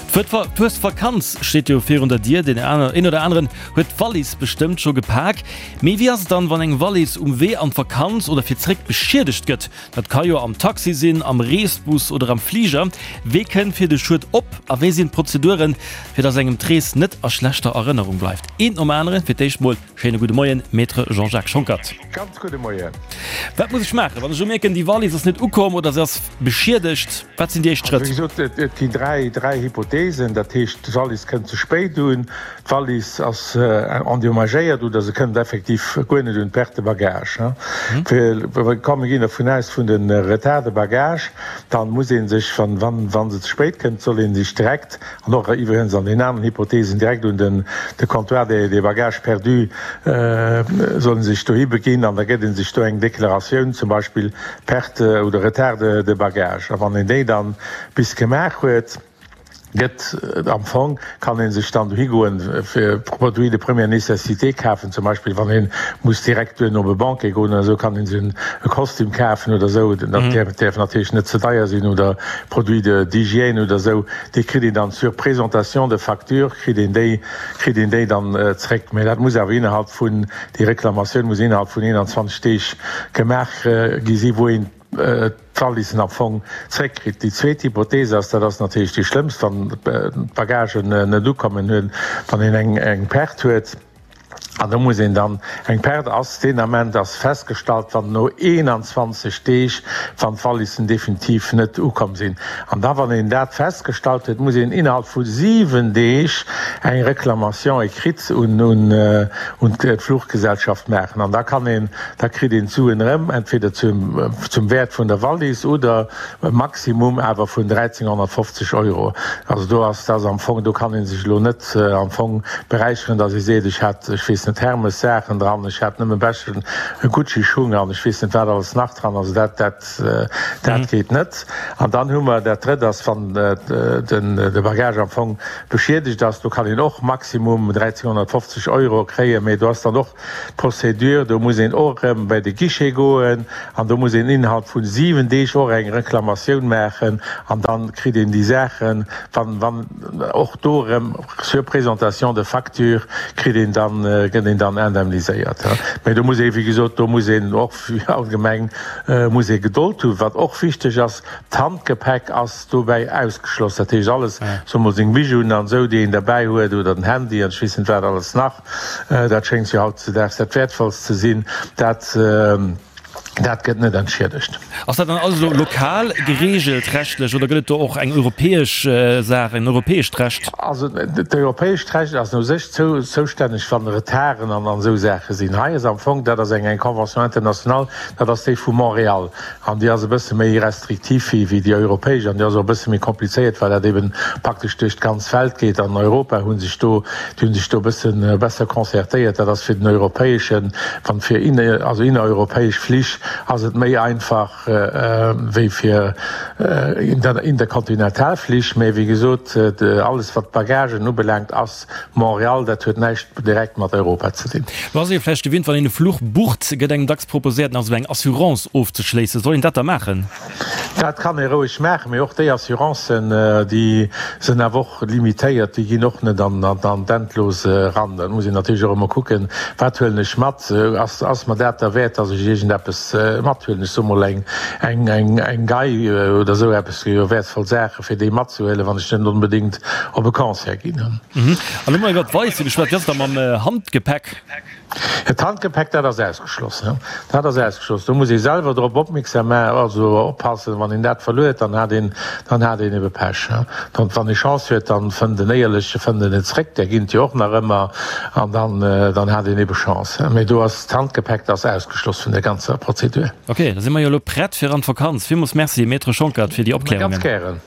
D'Fuesvakanz steet jo virun der Dier, deen een oder aneren huet d'Wallis bestëmmt scho gepak. Mee wéi ass et dann, wann eng Wallis um Wee an d'Vakanz oder fir zréck beschiedegt gëtt? Dat ka jo am Taxi sinn, am Reesbus oder am Fliger. Wee kënnt fir de Schued op a wéi sinn d'Prozeduren, fir dass engem d'Rees net a schlechter Erënnerung bleift? Eent nom aneren. Fir d'éischt mol schéine gudde Moien, Maître Jean-Jacques Schonckert. Ganz gudde Moien. Wat muss ech maachen, wann ech elo mierken, déi Wallis ass net ukomm oder se ass beschiedegt? Wat sinn déi éischt Schrëtt? Also wéi gesot, et ginn 3 Hypotheesen. Dat heescht, d'Wallis kënnt ze spéit un, d'Wallis ass endommagéiert oder se kënnt effektiv guer net un, Perte de bagage. Komm, mir ginn dervun aus vun de Retard de bagage, dann muss ee sech, wa se ze spéit kënnt, soll ee sech direkt An och iwwregens an den aneren Hypothesen direkt un den de Comptoir des des bagages perdus soll en sech dohi beginn an da gëtt en sech do eng Deklaratioun, zum Beispill Perte oder Retard de de bagage. A wann een déi dann bis gemaach huet, gëtt am Fong, kann ee sech dann dohi goen fir Produits de première nécessité kafen, zum Beispill wann ee muss direkt duerno op e Banquet goen oder esou, kann ee sech e Kostüm kafen oder esou. Dat däerf natierlech net ze deier sinn oder Produits de d'hygiène oder esou. Déi kritt een dann sur présentation de facture, kritt een déi, kritt een déi dann zréck. Mä dat muss awer innerhalb vun, déi Reklamatioun muss innerhalb vun 21 Deeg gemaach gi si wou een d'Wallissen am Fong zréckkritt. Déi zweet Hypothese ass, dat ass natierlech déi schlëmmst, wann d'Bagagen net ukommen, wann een eng Perte huet, An do muss een dann, eng Perte ass deen Ament ass festgestallt, wann no 21 Deeg, wann d'Wallissen definitiv net ukomm sinn. An da wann een dat festgestallt huet, muss een innerhalb vu 7 Deeg eng Réclamation écrite un un d'Fluchgesellschaft maachen. An da kann een, da kritt een d'Suen erëm, entweder zum zum Wäert vun der Wallis oder E Maximum awer vun 1.350 Euro. Also do ass, dat ass am Fong, do kann ee sech elo net am Fong beräicheren, datt ee seet, ech hat, ech weess net, Hermes-Saachen dran, ech hat nëmme beschten Gucci-Schung an ech weess net wat alles nach dran. Also dat, dat, dat geet net. An dann hu mer, dat Drëtt ass, wann den, de Bagage am Fong beschiedegt ass, do kann een och Maximum 1.350 Euro kréien, mä do ass dann och D'Procédure, do muss een och erëm bei de Guichet goen an do muss een innerhalb vu 7 Deeg och eng Reklamatioun maachen an dann kritt een déi Saachen, wann, wann och do erëm sur présentation de facture kritt een dann, gëtt een dann indemniséiert. Mä do muss ee wéi gesot, do muss een och allgemeng muss ee Gedold hunn. Wat och wichteg ass, D'Handgepäck ass dobäi ausgeschloss, dat heescht alles, soe mol seng Bijouen an esou, déi een derbäi huet oder den Handy an ech weess net wat alles nach, Dat schéngt jo hautzedaags dat Wäertvollst ze sinn. Dat, dat gëtt net entschiedegt. Ass dat dann alles elo lokal geregelt rechtlech oder gëtt et do och eng europäesch Saach, en europäescht Recht? Also d'europäescht Recht ass u sech zoustänneg, wann Retarden an esou Saache sinn. Hei ass am Fong, dat ass eng Convention internationale, dat ass déi vu Montréal. An déi ass e bësse méi restriktiv wéi déi europäesch an déi ass och e bësse méi komplizéiert, well dat eben praktesch duerch d'ganz Welt geet. An Europa hu sech do, déi hu sech do e bësse besser concertéiert. Dat ass fir den europäeschen, wann fir inne, also innereuropäesch Flich ass et méi einfach wéi fir interkontinental Flich. Mä wéi gesot, alles wat d'Bagagen ubelaangt ass Montréal, dat huet näischt direkt mat Europa ze dinn. Lo ass ee vläicht gewinnt, wann een e Fluch bucht, gëtt engem dacks proposéiert, nach esou eng Assurance ofzeschléissen. Soll een dat da maachen? Dat kann ee roueg maachen, mee och déi Assurancen, déi sinn awer och limitéiert, déi ginn och net an d'Endlos eran. Dat muss een natierlech och ëmmer kucken, wat huelen ech mat, ass mer dat derwäert, datt ech iergendeppes mathuelen, ech soe mol eng Gei oder esou eppes, jo wäertvoll Saachen. Fir déi matzehuelen, wann ech net onbedéngt op e Concert ginn. An elo mol iwwer d'Weisse geschwat, wéi ass et da mam Handgepäck? D'Handgepäck, dat ass ausgeschloss. Dat ass ausgeschloss. Do muss ee selwer drop opmierksam maachen, also oppassen. Wann een dat verluer, dann hat een, dann hat een ebe Pech. Dann, wann ee Chance huet, dann fënnt en Éierleche fënnt en et zréck, där ginn et jo och nach ëmmer, an dann, dann hat een ebe Chance. Mee do ass d'Handgepäck, dat ass ausgeschloss vun der ganzer Prozedur. Ok, da si mer jo elo prett fir an d'Vakanz. Villmools Merci, Maître Schonckert, fir déi Opklärungen. Ganz gären.